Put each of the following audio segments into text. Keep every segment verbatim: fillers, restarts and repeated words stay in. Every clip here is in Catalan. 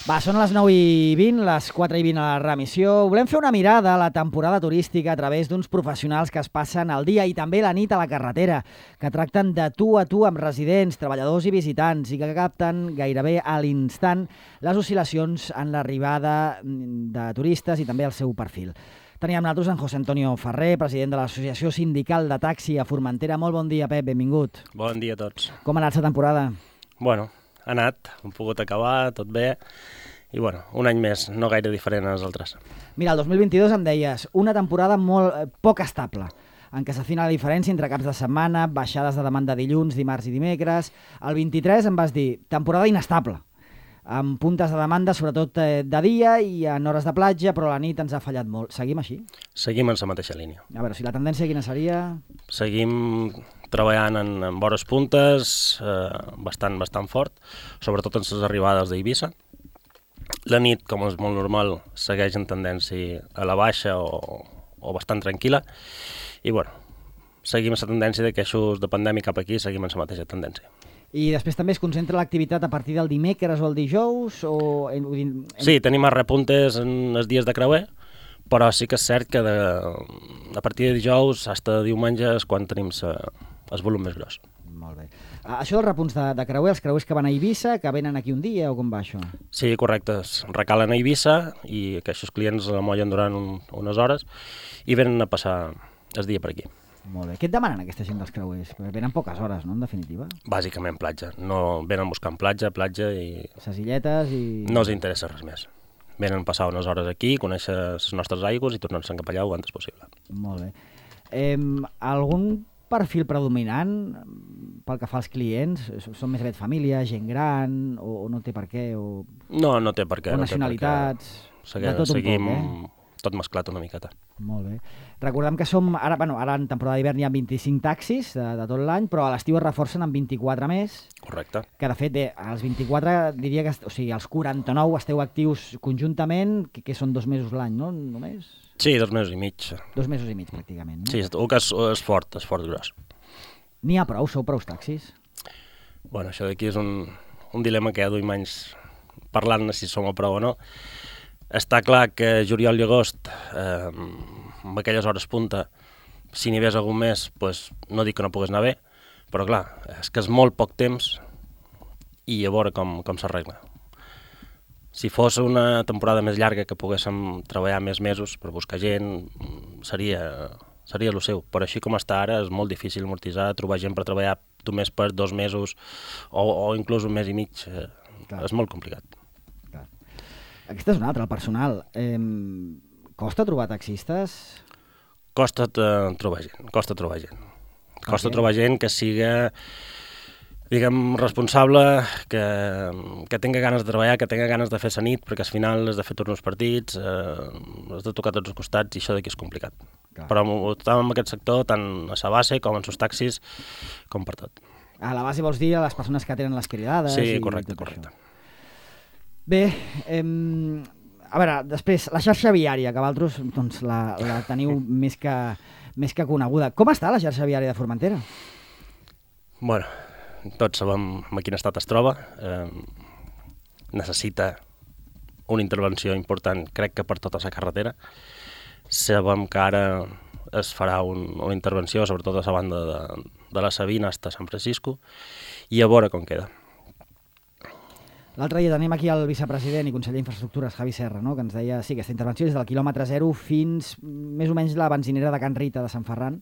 Va, són les nou i vint, les quatre i vint a la remissió. Volem fer una mirada a la temporada turística a través d'uns professionals que es passen el dia i també la nit a la carretera, que tracten de tu a tu amb residents, treballadors i visitants i que capten gairebé a l'instant les oscil·lacions en l'arribada de turistes i també el seu perfil. Teníem amb nosaltres en José Antonio Ferrer, president de l'Associació Sindical de Taxi a Formentera. Molt bon dia, Pep, benvingut. Bon dia a tots. Com ha anat la temporada? Bueno, ha anat, hem pogut acabar, tot bé, i bueno, un any més, no gaire diferent als altres. Mira, el dos mil vint-i-dos em deies, una temporada molt eh, poc estable, en què s'afina la diferència entre caps de setmana, baixades de demanda dilluns, dimarts i dimecres. El vint-i-tres em vas dir, temporada inestable, amb puntes de demanda, sobretot eh, de dia i en hores de platja, però la nit ens ha fallat molt. Seguim així? Seguim en la mateixa línia. A veure, si la tendència quina seria? Seguim treballant en, en vores puntes, eh, bastant, bastant fort, sobretot en les arribades d'Eivissa. La nit, com és molt normal, segueix en tendència a la baixa o, o bastant tranquil·la. I bueno, seguim la tendència de queixos de pandèmia cap aquí, seguim en la mateixa tendència. I després també es concentra l'activitat a partir del dimecres o el dijous? O en, en... Sí, tenim els repuntes en els dies de creuer, però sí que és cert que de, a partir de dijous fins a diumenge és quan tenim sa, el volum més gros. Molt bé. Això dels repunts de, de creuer, els creuers que van a Eivissa, que venen aquí un dia o com va això? Sí, correcte. Es recalen a Eivissa i aquests clients la mollen durant un, unes hores i venen a passar el dia per aquí. Molt bé. Què et demanen aquesta gent dels creuers? Perquè venen poques hores, no?, en definitiva. Bàsicament platja. No venen buscant platja, platja i... Les illetes i... No els interessa res més. Venen a passar unes hores aquí, conèixer les nostres aigües i tornar-se'n cap allà o antes possible. Molt bé. Eh, algun perfil predominant pel que fa als clients? Són més aviat família, gent gran, o, o no té per què? O, no, no té per què. O nacionalitats? No Segui, de tot seguim un poc, eh? Tot mesclat una miqueta. Molt bé. Recordem que som, ara, bueno, ara en temporada d'hivern hi ha vint-i-cinc taxis de, de tot l'any, però a l'estiu es reforcen amb vint-i-quatre més. Correcte. Que de fet, bé, als vint-i-quatre diria que, o sigui, als quaranta-nou esteu actius conjuntament, que, que són dos mesos l'any, no? Només? Sí, dos mesos i mig. Dos mesos i mig, pràcticament, no? Sí, el que és, és fort, és fort gros. N'hi ha prou? Sou prou taxis? Bueno, això d'aquí és un, un dilema que ja duim anys parlant si som a prou o no. Està clar que juliol i agost, eh, amb aquelles hores punta, si n'hi hagués algun mes, pues, no dic que no pogués anar bé, però clar, és que és molt poc temps i a veure com, com s'arregla. Si fos una temporada més llarga que poguéssim treballar més mesos per buscar gent, seria, seria el seu. Però així com està ara és molt difícil amortitzar, trobar gent per treballar només per dos mesos o, o inclús un mes i mig. Eh, és molt complicat. Aquesta és una altra, el personal. Eh, costa trobar taxistes? Costa uh, trobar gent, costa trobar gent. Costa okay. trobar gent que siga, diguem, responsable, que, que tenga ganes de treballar, que tenga ganes de fer la nit, perquè al final has de fer torns partits, eh, has de tocar tots els costats i això d'aquí és complicat. Clar. Però estàvem en aquest sector, tant a la base com en els taxis, com per tot. A la base vols dir a les persones que tenen les cridades? Sí, correcte, correcte. Això. Bé, eh, a veure, després, la xarxa viària, que vosaltres doncs, la, la teniu més que, més que coneguda. Com està la xarxa viària de Formentera? Bueno, tots sabem en quin estat es troba. Eh, necessita una intervenció important, crec que per tota la carretera. Sabem que ara es farà un, una intervenció, sobretot a la banda de, de la Sabina fins a Sant Francisco, i a veure com queda. L'altre dia tenim aquí el vicepresident i conseller d'Infraestructures, Javi Serra, no?, que ens deia sí, aquesta intervenció és del quilòmetre zero fins més o menys la benzinera de Can Rita de Sant Ferran.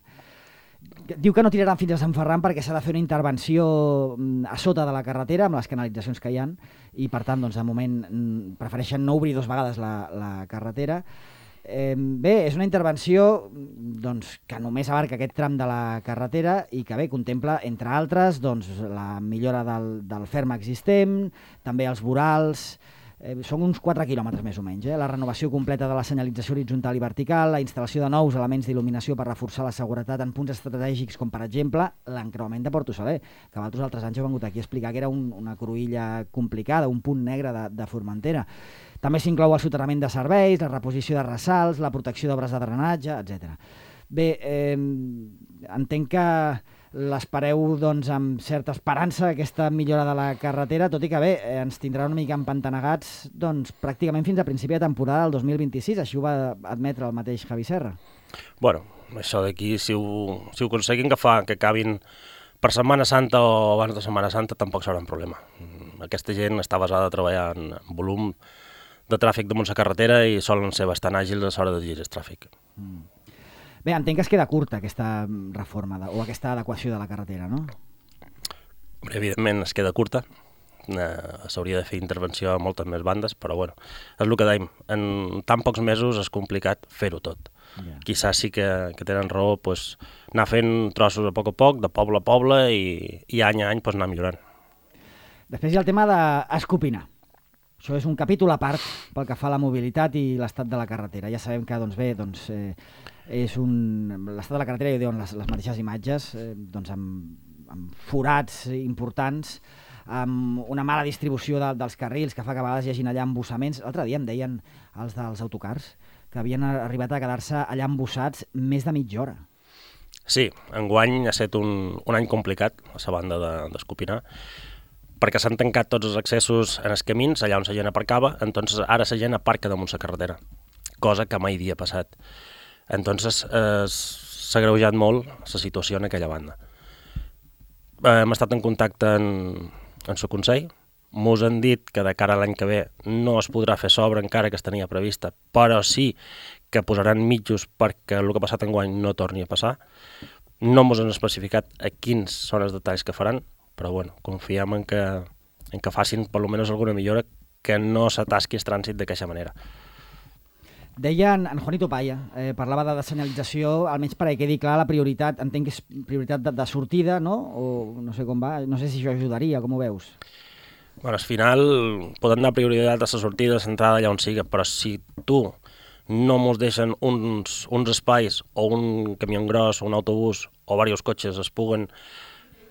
Diu que no tiraran fins a Sant Ferran perquè s'ha de fer una intervenció a sota de la carretera amb les canalitzacions que hi ha i, per tant, doncs, de moment prefereixen no obrir dues vegades la, la carretera. Eh, bé, és una intervenció doncs, que només abarca aquest tram de la carretera i que bé, contempla, entre altres, doncs, la millora del, del ferm existent, també els vorals, eh, són uns quatre quilòmetres més o menys, eh? La renovació completa de la senyalització horitzontal i vertical, la instal·lació de nous elements d'il·luminació per reforçar la seguretat en punts estratègics com, per exemple, l'encreuament de Porto Saler, que vosaltres altres anys heu vengut aquí a explicar que era un, una cruïlla complicada, un punt negre de, de Formentera. També s'inclou el soterrament de serveis, la reposició de ressalts, la protecció d'obres de drenatge, etcètera. Bé, eh, entenc que l'espereu doncs, amb certa esperança aquesta millora de la carretera, tot i que bé, eh, ens tindrà una mica empantanegats doncs, pràcticament fins a principi de temporada del dos mil vint-i-sis, així ho va admetre el mateix Javi Serra. Bueno, això d'aquí, si ho, si ho aconseguim que fa que acabin per Setmana Santa o abans de Setmana Santa, tampoc serà un problema. Aquesta gent està basada a treballar en volum de tràfic damunt la carretera i solen ser bastant àgils a l'hora de dirigir el tràfic. Mm. Bé, entenc que es queda curta aquesta reforma de, o aquesta adequació de la carretera, no? Evidentment es queda curta. Eh, S'hauria de fer intervenció a moltes més bandes, però bueno, és el que dèiem. En tan pocs mesos és complicat fer-ho tot. Yeah. Quizás sí que, que tenen raó pues, anar fent trossos a poc a poc, de poble a poble, i, i any a any pues, anar millorant. Després hi ha el tema d'escopinar. Això és un capítol a part pel que fa a la mobilitat i l'estat de la carretera. Ja sabem que, doncs bé, doncs, eh, és un... l'estat de la carretera, ja ho diuen les, les mateixes imatges, eh, doncs amb, amb forats importants, amb una mala distribució de, dels carrils que fa que a vegades hi hagin allà embossaments. L'altre dia em deien els dels autocars que havien arribat a quedar-se allà embossats més de mitja hora. Sí, enguany ha estat un, un any complicat a la banda d'Escopinar, perquè s'han tancat tots els accessos en els camins, allà on la gent aparcava, entonces ara la gent aparca damunt la carretera, cosa que mai havia passat. Entonces eh, s'ha agreujat molt la situació en aquella banda. Eh, hem estat en contacte en, en el Consell, mos han dit que de cara a l'any que ve no es podrà fer sobre encara que es tenia prevista, però sí que posaran mitjos perquè el que ha passat enguany no torni a passar. No mos han especificat a quins són els detalls que faran, però bueno, confiem en que, en que facin per almenys alguna millora, que no s'atasqui el trànsit d'aquesta manera. Deia en, en Juanito Paya, eh, parlava de senyalització, almenys perquè quedi clar la prioritat, entenc que és prioritat de, de sortida, no? O no sé com va, no sé si això ajudaria, com ho veus? Bueno, al final poden donar prioritat a la sortida, a l'entrada allà on siga, però si tu no mos deixen uns, uns espais o un camió gros o un autobús o diversos cotxes es puguen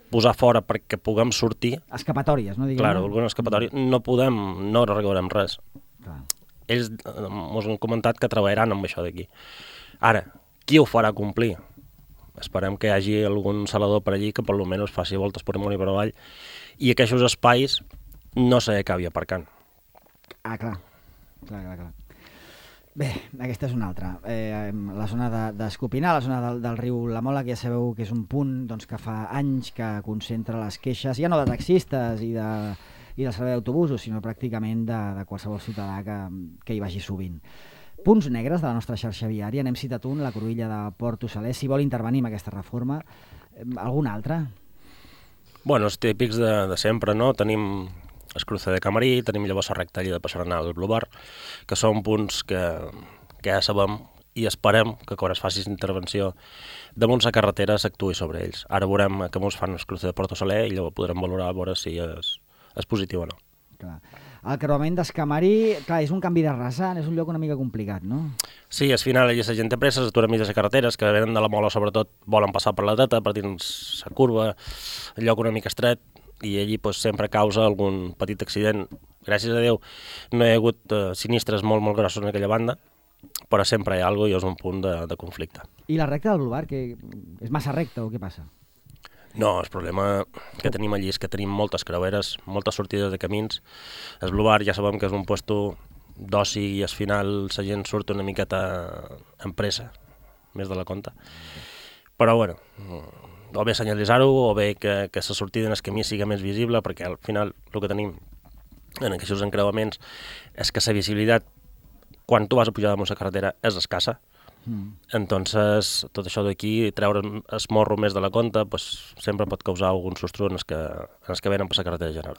posar fora perquè puguem sortir... Escapatòries, no? Diguem, Claro, alguna escapatòria. No podem, no arreglarem res. Clar. Ells ens han comentat que treballaran amb això d'aquí. Ara, qui ho farà complir? Esperem que hi hagi algun salador per allí que per almenys faci voltes per amunt i per avall i que aquests espais no s'acabi aparcant. Ah, clar. Clar, clar, clar. Bé, aquesta és una altra. Eh, la zona d'Escopinar, la zona del, del riu La Mola, que ja sabeu que és un punt doncs, que fa anys que concentra les queixes, ja no de taxistes i, de, i del servei d'autobusos, sinó pràcticament de, de qualsevol ciutadà que, que hi vagi sovint. Punts negres de la nostra xarxa viària, n'hem citat un, la Cruïlla de Porto Saler. Si vol intervenir en aquesta reforma, eh, algun altre? Bueno, els típics de, de sempre, no? Tenim el cruce de Camarí, tenim llavors la recta allà de Passaranà del Blubar, que són punts que, que ja sabem i esperem que quan es faci intervenció damunt la carretera s'actuï sobre ells. Ara veurem que ens fan el cruce de Porto Saler i llavors podrem valorar a veure si és, és positiu o no. Clar. El creuament d'Escamari, clar, és un canvi de rasant, és un lloc una mica complicat, no? Sí, al final allà la gent té pressa, s'aturen mig de les carreteres, que venen de la Mola sobretot volen passar per la dreta, per dins la curva, el lloc una mica estret, i allí pues, sempre causa algun petit accident. Gràcies a Déu no hi ha hagut uh, sinistres molt, molt grossos en aquella banda, però sempre hi ha alguna cosa i és un punt de, de conflicte. I la recta del Blubar, que és massa recta o què passa? No, el problema que tenim allí és que tenim moltes creueres, moltes sortides de camins. El Blubar ja sabem que és un puesto d'oci i al final la gent surt una miqueta en pressa, més de la compte. Però bueno, o bé senyalitzar-ho, o bé que, que la sortida en el camí sigui més visible, perquè al final el que tenim en aquests encreuaments és que la visibilitat, quan tu vas a pujar damunt la carretera, és escassa. Mm. Entonces, tot això d'aquí, treure el morro més de la compte, pues, sempre pot causar algun sostre en els que, en els que venen per la carretera general.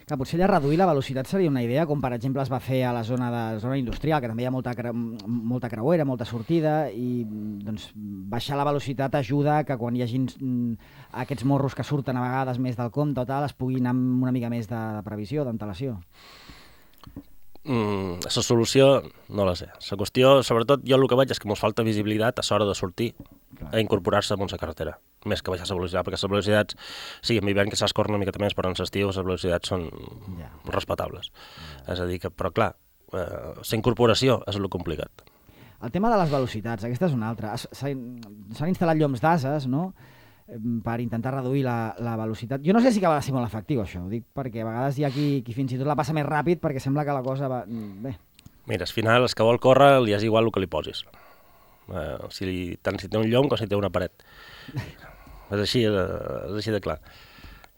Que potser allà reduir la velocitat seria una idea, com per exemple es va fer a la zona de zona industrial, que també hi ha molta, cre molta creuera, molta sortida, i doncs, baixar la velocitat ajuda que quan hi hagi aquests morros que surten a vegades més del compte o tal, es pugui anar amb una mica més de, de previsió, d'antelació. Mm, la solució no la sé. La qüestió, sobretot, jo el que veig és que ens falta visibilitat a l'hora de sortir Clar. a incorporar-se a la carretera, més que baixar la velocitat, perquè les velocitats, sí, en hivern que s'escorren una miqueta més, però en l'estiu les velocitats són ja. respectables. Ja. És a dir que, però clar, eh, la incorporació és el complicat. El tema de les velocitats, aquesta és una altra. S'han instal·lat lloms d'ases, no? per intentar reduir la, la velocitat. Jo no sé si acaba de ser molt efectiu, això. Ho dic perquè a vegades hi ha qui, qui fins i tot la passa més ràpid perquè sembla que la cosa va... Bé. Mira, al final, els que vol córrer li és igual el que li posis. Eh, si li, tant si té un llom com si té una paret. és, així, és així de clar.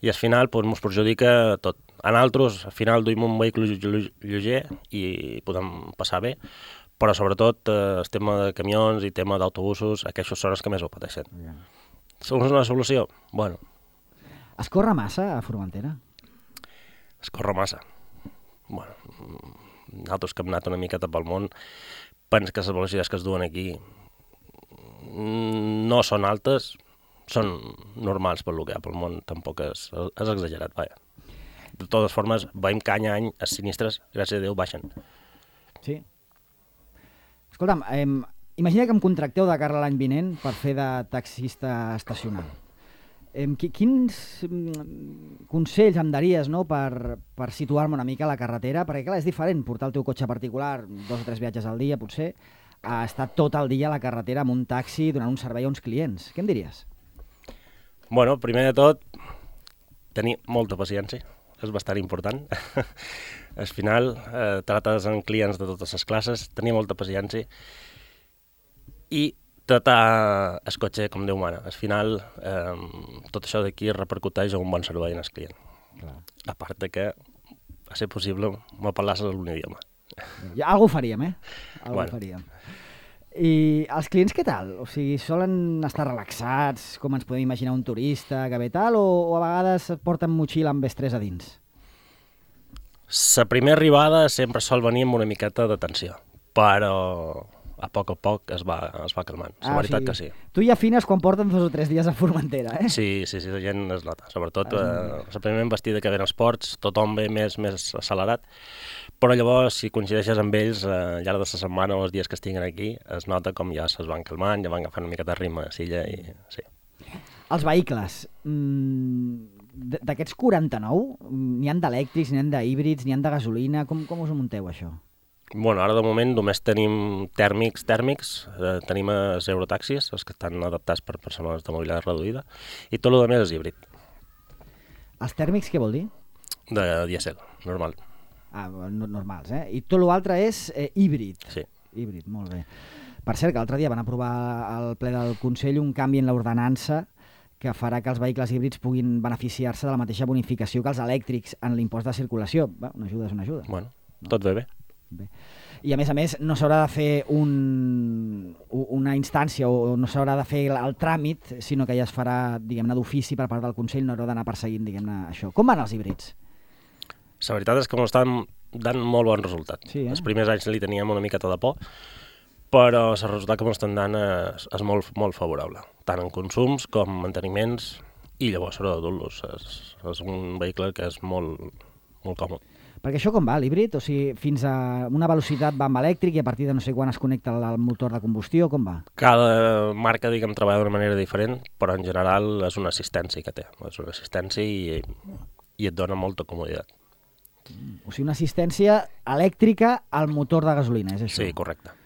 I al final doncs, ens perjudica tot. En altres, al final duim un vehicle lleuger i podem passar bé, però sobretot eh, el tema de camions i tema d'autobusos, aquests són els que més ho pateixen. Yeah. És una solució? Bueno. Es corre massa a Formentera? Es corre massa. Bueno, nosaltres que hem anat una miqueta pel món, penso que les velocitats que es duen aquí no són altes, són normals per lo que hi ha pel món, tampoc és, és exagerat, vaja. De totes formes, veiem que any a any els sinistres, gràcies a Déu, baixen. Sí. Escolta'm, eh, imagina que em contracteu de cara a l'any vinent per fer de taxista estacional. Eh, quins consells em daries, no, per, per situar-me una mica a la carretera? Perquè, clar, és diferent portar el teu cotxe particular, dos o tres viatges al dia, potser, a estar tot el dia a la carretera amb un taxi donant un servei a uns clients. Què em diries? Bueno, primer de tot, tenir molta paciència. És bastant important. Al final, eh, trates amb clients de totes les classes, tenir molta paciència i tratar el cotxe com Déu mana. Al final, eh, tot això d'aquí repercuteix en un bon servei en el client. Clar. A part de que, a ser possible, m'apel·lasses a un idioma. Ja, algú faríem, eh? Algú bueno. faríem. I els clients què tal? O sigui, solen estar relaxats, com ens podem imaginar un turista que ve tal, o, o a vegades porten motxilla amb estrès a dins? La primera arribada sempre sol venir amb una miqueta de tensió, però a poc a poc es va, es va calmant. La ah, veritat o sigui, que sí. Tu ja afines quan porten dos o tres dies a Formentera, eh? Sí, sí, sí, la gent es nota. Sobretot eh, la primera embestida que ven als ports, tothom ve més, més accelerat, però llavors, si coincideixes amb ells, eh, al llarg de la setmana o els dies que estiguen aquí, es nota com ja es van calmant, ja van agafant una miqueta de ritme a silla i sí. Els vehicles, d'aquests quaranta-nou, n'hi han d'elèctrics, n'hi han d'híbrids, n'hi han de gasolina, com, com us ho munteu, això? Bueno, ara de moment només tenim tèrmics, tèrmics, eh, tenim els eurotaxis, els que estan adaptats per persones de mobilitat reduïda, i tot el més és híbrid. Els tèrmics què vol dir? De dièsel, normal. Ah, no, normals, eh? I tot l'altre és eh, híbrid. Sí. Híbrid, molt bé. Per cert, que l'altre dia van aprovar al ple del Consell un canvi en l'ordenança que farà que els vehicles híbrids puguin beneficiar-se de la mateixa bonificació que els elèctrics en l'impost de circulació. Bé, una ajuda és una ajuda. Bueno, no? Tot ve bé. Bé. I a més a més no s'haurà de fer un, una instància o no s'haurà de fer el, el tràmit, sinó que ja es farà, diguem-ne, d'ofici per part del Consell, no haurà d'anar perseguint, diguem-ne, això. Com van els híbrids? La veritat és que m'estan dant molt bon resultat. Sí, eh? Els primers anys li teníem una miqueta de por, però el resultat que m'estan dant és, és molt, molt favorable, tant en consums com en manteniments, i llavors s'haurà de dur-los. És, és un vehicle que és molt, molt còmode. Perquè això com va, l'híbrid? O sigui, fins a una velocitat va amb elèctric i a partir de no sé quan es connecta al motor de combustió, com va? Cada marca, diguem, treballa d'una manera diferent, però en general és una assistència que té. És una assistència i, i et dona molta comoditat. O sigui, una assistència elèctrica al motor de gasolina, és això? Sí, correcte.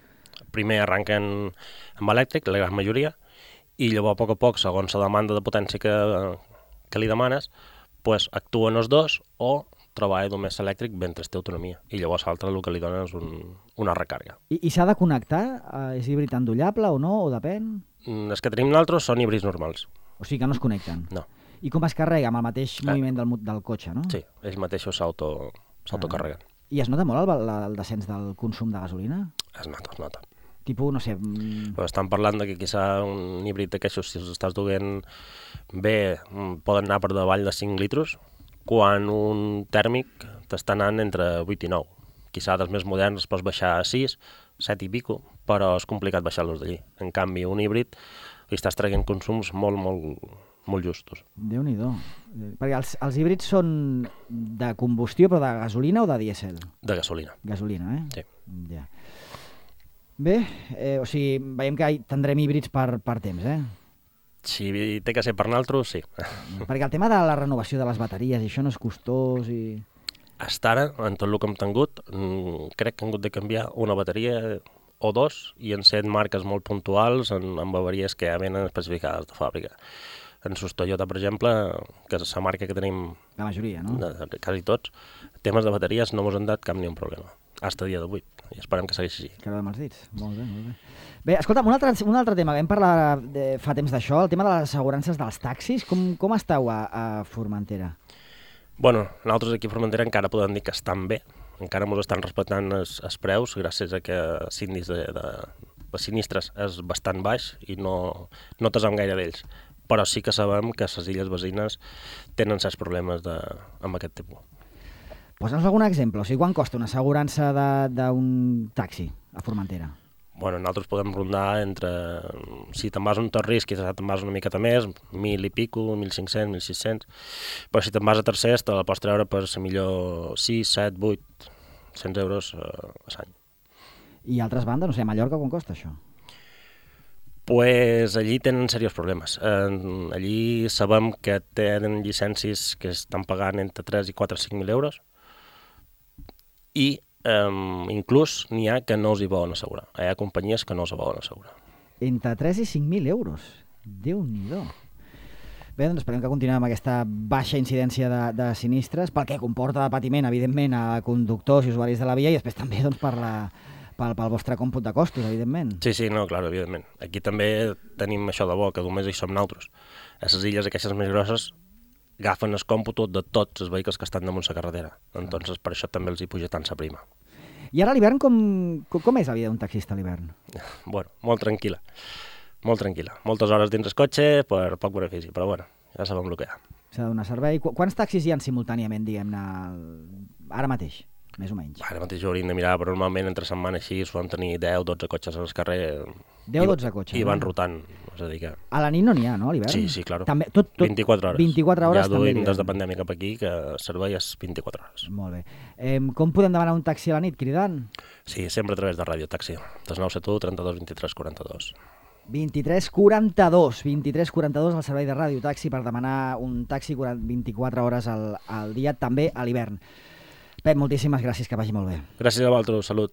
Primer arrenquen amb elèctric, la gran majoria, i llavors a poc a poc, segons la demanda de potència que, que li demanes, pues, actuen els dos o treballa només elèctric mentre té autonomia. I llavors l'altre el que li dona és un, una recàrrega. I, i s'ha de connectar? És híbrid endollable o no? O depèn? Mm, els que tenim nosaltres són híbrids normals. O sigui que no es connecten? No. I com es carrega? Amb el mateix eh. moviment del, del cotxe, no? Sí, ells mateixos s'autocarreguen. Ah. I es nota molt el, el descens del consum de gasolina? Es nota, es nota. Tipus, no sé... Però estan parlant de que quizà un híbrid d'aquestos, si els estàs duent bé, poden anar per davall de cinc litros, quan un tèrmic t'està anant entre vuit i nou. Quizà dels més moderns pots baixar a sis, set i pico, però és complicat baixar-los d'allí. En canvi, un híbrid li estàs traient consums molt, molt, molt justos. Déu-n'hi-do. Perquè els, els híbrids són de combustió, però de gasolina o de dièsel? De gasolina. Gasolina, eh? Sí. Ja. Bé, eh, o sigui, veiem que tindrem híbrids per, per temps, eh? Si té que ser per nosaltres, sí. Perquè el tema de la renovació de les bateries, i això no és costós i... Hasta ara, en tot el que hem tingut, crec que hem hagut de canviar una bateria o dos, i en set marques molt puntuals, en, en bateries que ja venen especificades de fàbrica. en sus Toyota, per exemple, que és la marca que tenim... La majoria, no? De, de, quasi tots, temes de bateries no ens han dat cap ni un problema, fins a dia d'avui, i esperem que segueixi així. Quedem els dits, molt bé, molt bé. Bé, escolta'm, un altre, un altre tema, vam parlar de, fa temps d'això, el tema de les assegurances dels taxis, com, com esteu a, a Formentera? Bueno, nosaltres aquí a Formentera encara podem dir que estan bé, encara ens estan respectant els, els preus, gràcies a que els índices de, de, de sinistres és bastant baix i no, no tesam gaire d'ells. Però sí que sabem que les illes veïnes tenen certs problemes de, amb aquest tipus. Posa'ns algun exemple, o sigui, quan costa una assegurança d'un taxi a Formentera? Bueno, nosaltres podem rondar entre, si te'n vas a un tot risc, quizás te'n vas una miqueta més, mil i pico, mil cinc-cents, mil sis-cents, però si te'n vas a tercers te la pots treure per ser millor sis, set, vuit, cents euros a l'any. I altres bandes, no sé, a Mallorca quan costa això? Pues allí tenen serios problemes. Eh, allí sabem que tenen llicències que estan pagant entre tres i quatre o cinc mil euros i Um, inclús n'hi ha que no els hi volen assegurar. Hi ha companyies que no els volen assegurar. Entre tres i cinc mil euros. Déu-n'hi-do. Bé, doncs esperem que continuem amb aquesta baixa incidència de, de sinistres, pel que comporta de patiment, evidentment, a conductors i usuaris de la via, i després també doncs, per la, pel, pel vostre còmput de costos, evidentment. Sí, sí, no, clar, evidentment. Aquí també tenim això de bo, que només hi som nosaltres. A les illes aquestes més grosses agafen el còmput de tots els vehicles que estan damunt la carretera. Entonces, per això també els hi puja tant la prima. I ara a l'hivern com, com, com és la vida d'un taxista a l'hivern? Bueno, molt tranquil·la. Molt tranquil·la. Moltes hores dins el cotxe per poc benefici, però bueno, ja sabem el que hi ha. S'ha de donar servei. Qu Quants taxis hi ha simultàniament, diguem-ne, ara mateix, més o menys? Ara mateix ho hauríem de mirar, però normalment entre setmana així solen tenir deu dotze cotxes al carrer. deu dotze cotxes. I van no? rotant. És a dir que... A la nit no n'hi ha, no, a l'hivern? Sí, sí, clar. També, tot, tot... vint-i-quatre hores. vint-i-quatre hores ja també. Ja duim des de pandèmia cap aquí que el servei és vint-i-quatre hores. Molt bé. Eh, com podem demanar un taxi a la nit, cridant? Sí, sempre a través de Ràdio Taxi. Des nou set u trenta-dos vint-i-tres quaranta-dos. vint-i-tres quaranta-dos. vint-i-tres quaranta-dos al servei de Ràdio Taxi per demanar un taxi vint-i-quatre hores al, al dia, també a l'hivern. Pep, moltíssimes gràcies, que vagi molt bé. Gràcies a vosaltres, salut.